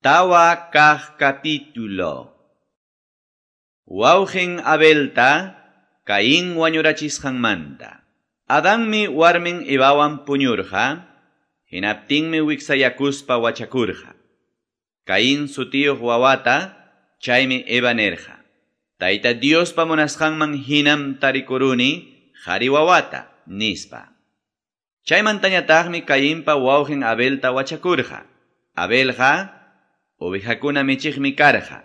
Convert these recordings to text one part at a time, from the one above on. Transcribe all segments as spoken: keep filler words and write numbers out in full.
Tawa kaq capítulo. Wawqin Abelta Caín wañurachisqanmanta. Adanmi warmin Evawan puñurqa, hinaptinmi wiksayakuspa wachakurqa. Caín sutiyuq wawata, chaymi Eva nirqa: Tayta Diospa munasqanman hinam tarikuruni qhari wawata, nispa. Chaymantañataqmi Cainpa wawqin Abelta wachakurqa. Abelqa ovejakuna michiqmi karqa.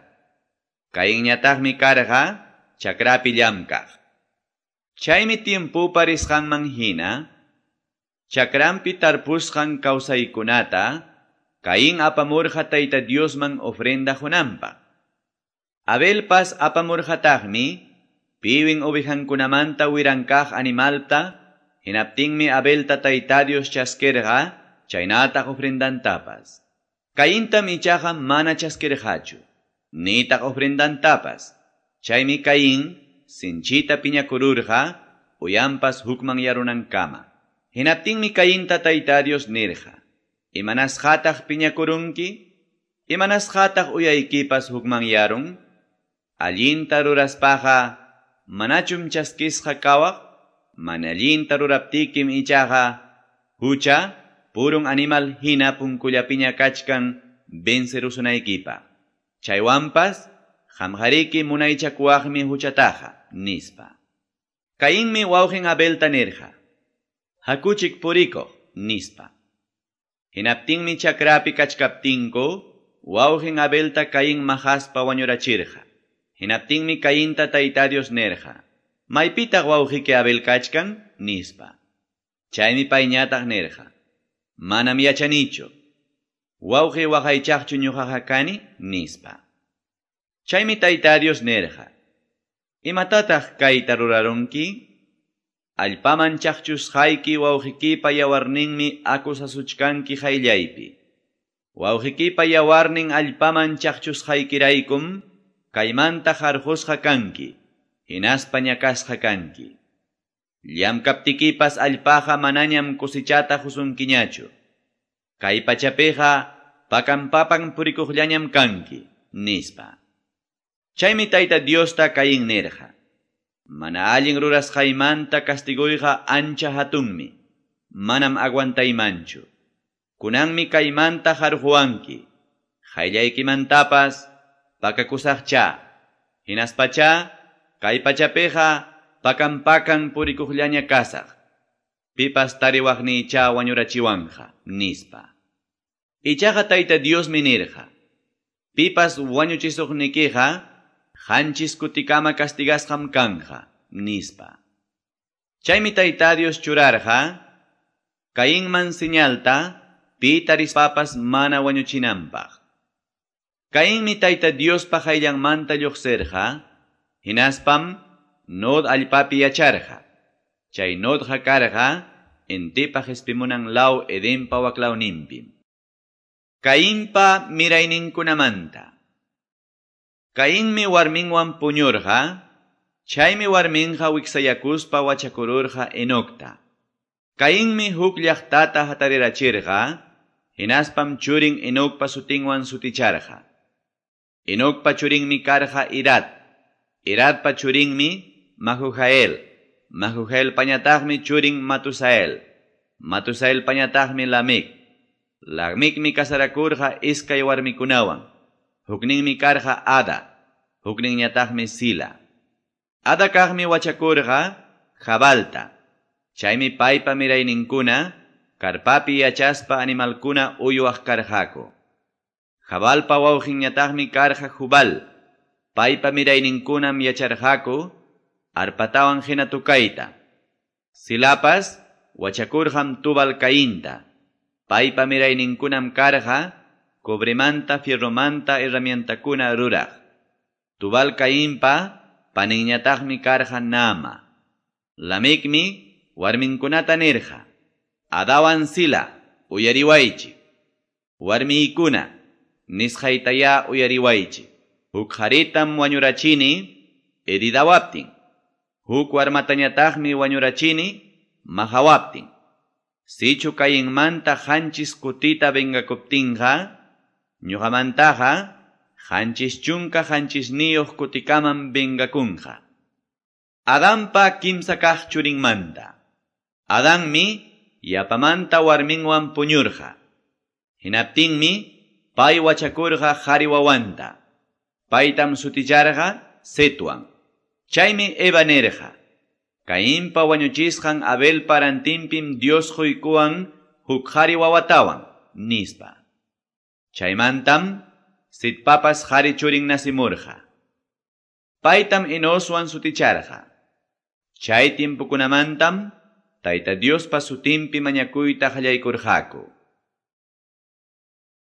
Cainñataqmi karqa chakrapi llamkaq. Chaymi tiempopa risqanman hina, chakranpi tarpusqan kawsaykunata Caín apamurqa Tayta Diosman ofrenda qunanpaq. Abelpas apamurqataqmi piwin ovejankunamanta wirankaq animalta, hinaptinmi Abelta Tayta Dios chaskirqa chaynataq ofrendantapas. Caintam ichaqa mana chaskirqachu, nitaq ofrendantapas. Chaymi Caín sinchita piñakururqa, uyanpas hukmanyarunankama. Hinaptinmi Cainta Tayta Dios nirqa: Imanasqataq piñakurunki? Imanasqataq uyaykipas hukmanyarun? Allinta ruraspaqa manachum chaskisqa kawaq? Mana allinta ruraptikim ichaqa hucha purun animal hina punkullapiña kachkan vencerusunaykipaq. Chaywanpas qamqariki munaychakuwaqmi huchataqa, nispa. Cainmi wawqin Abelta nirqa: Hakuchik purikuq, nispa. Hinaptinmi chakrapi kachkaptinku wawqin Abelta Caín maqaspa wañurachirqa. Hinaptinmi Cainta Tayta Dios nirqa: Maypitaq wawqiki Abel kachkan, nispa. Chaymi payñataq nirqa: Manam yachanichu. Wawqi waqaychaqchu ñuqaqa kani, nispa. Chaymi Tayta Dios nirqa: Imatataq kayta rurarunki? Allpaman chaqchusqayki wawqikipa yawarninmi acusasuchkanki qayllaypi. Wawqikipa yawarnin allpaman chaqchusqaykiraykum kaymanta qarqusqa kanki, hinaspa ñakasqa kanki. Llamkaptikipas allpaqa manañam cosechata qusunkiñachu. Kay pachapiqa pakan-papan purikuqllañam kanki, nispa. Chaymi Tayta Diosta Caín nirqa: Mana allin rurasqaymanta castiguyqa ancha hatunmi, manam aguantaymanchu. Kunanmi kaymanta qarquwanki, qayllaykimantapas pakakusaqcha, hinaspacha kay pachapiqa pakan-pakan purikuqllaña kasaq. Pipas tariwaqniycha wañurachiwanqa, nispa. Ichaqa Tayta Diosmi nirqa: Pipas wañuchisuqnikiqa qanchis kutikama castigasqam kanja, nispa. Chaymi Tayta Dios churarqa Cainman señalta pi tarispapas mana wañuchinanpaq. Cainmi Tayta Diospa qayllanmanta lluqsirqa, hinaspam Nod allpapi yacharqa. Chay Nodqa karqa intipa qispimunan law Edenpa waklawninpim. Cainpa mirayninkunamanta. Cainmi warminwan puñurqa, chaymi warminqa wiksayakuspa wachakururqa Enocta. Cainmi huk llaqtata hatarirachirqa, hinaspam churin Enocpa sutinwan suticharqa. Enocpa churinmi karqa Irad, Iradpa churinmi Mahujael, Mahujaelpañataqmi churin Matusael, Matusaelpañataqmi Lamec. Lamecmi casarakurqa iskay warmikunawan. Hukninmi karqa Ada, hukninñataqmi Sila. Ada kaqmi wachakurqa Jabalta. Chaymi paypa mirayninkuna karpapi yachaspa animalkuna uywaq karqaku. Jabalpa wawqinñataqmi karqa Jubal. Paypa mirayninkunam yacharqaku arpatawan hina tukayta. Silapas wachakurqam Tubal Cainta. Paypa mirayninkunam karqa cobremanta, fierromanta herramientakuna ruraq. Tubal Cainpa paninñataqmi karqa Naama. Lamecmi warminkunata nirqa: Adawan Sila, uyariwaychik. Warmiykuna, nisqaytayá uyariwaychik. Huk qharitam wañurachini heridawaptin. Huk warmatañataqmi wañurachini maqawaptin. Sichu Cainmanta qanchis kutita vengakuptinqa, Ñuqamantaqa qanchis chunka qanchisniyuq kutikamam vengakunqa. Adanpa kimsa kaq churinmanta. Adanmi yapamanta warminwan puñurqa. Hinaptinmi pay wachakurqa qari wawanta. Paytam suticharqa Setwan. Chaymi Eva nirqa: Cainpa wañuchisqan Abelpa rantinpim Dios quykuwan huk qari wawatawan, nispa. Chaymantam Setpapas qari churin nacimurqa. Paytam Enoswan suticharqa. Chay tiempokunamantam Tayta Diospa sutinpi mañakuyta qallaykurqaku.